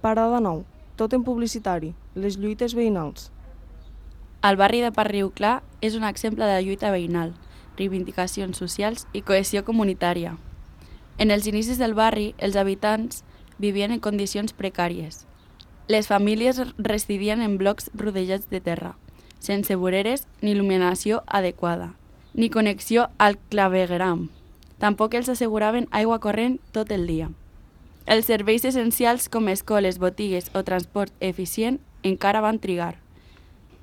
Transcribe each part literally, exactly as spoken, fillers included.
Parada nou, tòtem publicitari, les lluites veïnals. El barri de Parc Riu Clar és un exemple de lluita veïnal, reivindicacions socials i cohesió comunitària. En els inicis del barri, els habitants vivien en condicions precàries. Les famílies residien en blocs rodejats de terra, sense voreres ni il·luminació adequada, ni connexió al clavegueram. Tampoc els asseguraven aigua corrent tot el dia. Els serveis essencials com escoles, botigues o transport eficient encara van trigar.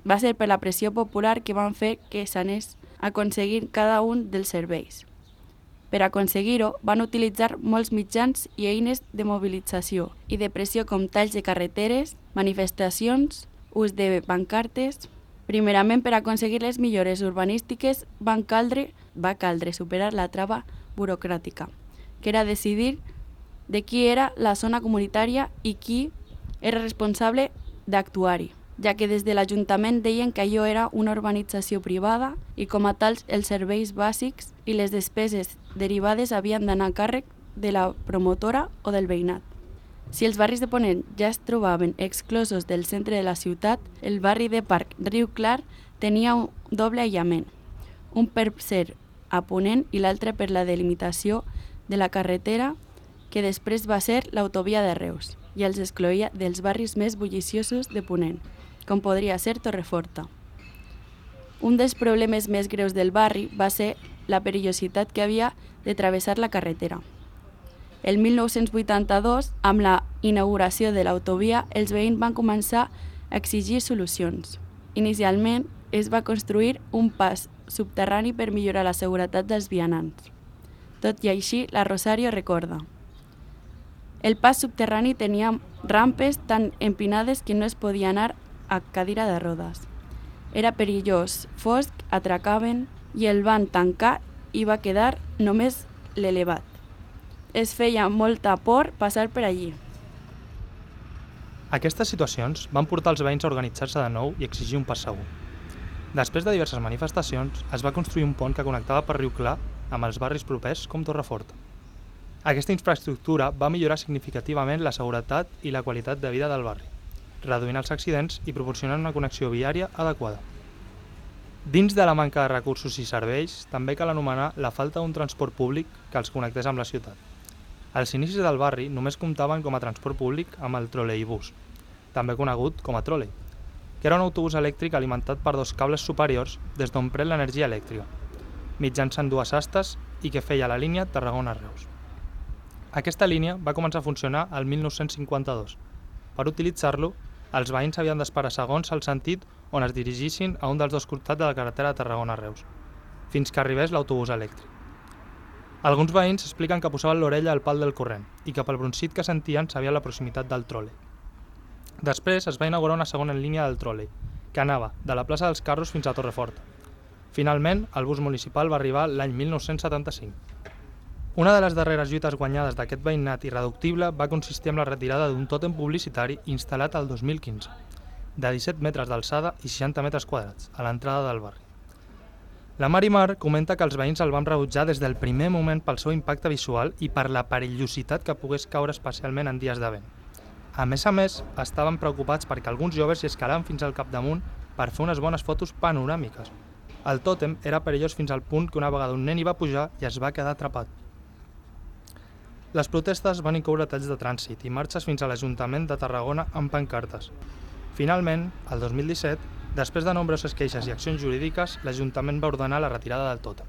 Va ser per la pressió popular que van fer que s'anés aconseguint cada un dels serveis. Per aconseguir-ho, van utilitzar molts mitjans i eines de mobilització i de pressió com talls de carreteres, manifestacions, ús de pancartes. Primerament, per aconseguir les millores urbanístiques, van caldre, va caldre superar la trava burocràtica, que era decidir de qui era la zona comunitària i qui era responsable d'actuar-hi, ja que des de l'Ajuntament deien que allò era una urbanització privada i com a tals els serveis bàsics i les despeses derivades havien d'anar a càrrec de la promotora o del veïnat. Si els barris de Ponent ja es trobaven exclosos del centre de la ciutat, el barri de Parc Riu Clar tenia un doble aïllament, un per ser a Ponent i l'altre per la delimitació de la carretera que després va ser l'autovia de Reus i els excloïa dels barris més bulliciosos de Ponent, com podria ser Torreforta. Un dels problemes més greus del barri va ser la perillositat que havia de travessar la carretera. El mil nou-cents vuitanta-dos, amb la inauguració de l'autovia, els veïns van començar a exigir solucions. Inicialment, es va construir un pas subterrani per millorar la seguretat dels vianants. Tot i així, la Rosario recorda: el pas subterrani tenia rampes tan empinades que no es podia anar a cadira de rodes. Era perillós, fosc, atracaven i el van tancar i va quedar només l'elevat. Es feia molta por passar per allí. Aquestes situacions van portar els veïns a organitzar-se de nou i exigir un pas segur. Després de diverses manifestacions, es va construir un pont que connectava per Riu Clar amb els barris propers com Torreforta. Aquesta infraestructura va millorar significativament la seguretat i la qualitat de vida del barri, reduint els accidents i proporcionant una connexió viària adequada. Dins de la manca de recursos i serveis, també cal anomenar la falta d'un transport públic que els connectés amb la ciutat. Els inicis del barri només comptaven com a transport públic amb el troleibús, també conegut com a trolei, que era un autobús elèctric alimentat per dos cables superiors des d'on pren l'energia elèctrica, mitjançant dues astes i que feia la línia Tarragona-Reus. Aquesta línia va començar a funcionar el mil nou-cents cinquanta-dos. Per utilitzar-lo, els veïns havien d'esperar segons el sentit on es dirigissin a un dels dos costats de la carretera de Tarragona-Reus, fins que arribés l'autobús elèctric. Alguns veïns expliquen que posaven l'orella al pal del corrent i que pel brunzit que sentien sabien la proximitat del trolei. Després es va inaugurar una segona línia del trolei, que anava de la plaça dels Carros fins a Torreforta. Finalment, el bus municipal va arribar l'any mil nou-cents setanta-cinc. Una de les darreres lluites guanyades d'aquest veïnat irreductible va consistir en la retirada d'un tòtem publicitari instal·lat el dos mil quinze, de disset metres d'alçada i seixanta metres quadrats, a l'entrada del barri. La Marimar comenta que els veïns el van rebutjar des del primer moment pel seu impacte visual i per la perillositat que pogués caure especialment en dies de vent. A més a més, estaven preocupats perquè alguns joves hi escalaven fins al capdamunt per fer unes bones fotos panoràmiques. El tòtem era perillós fins al punt que una vegada un nen hi va pujar i es va quedar atrapat. Les protestes van incloure talls de trànsit i marxes fins a l'Ajuntament de Tarragona amb pancartes. Finalment, el dos mil disset, després de nombroses queixes i accions jurídiques, l'Ajuntament va ordenar la retirada del tòtem.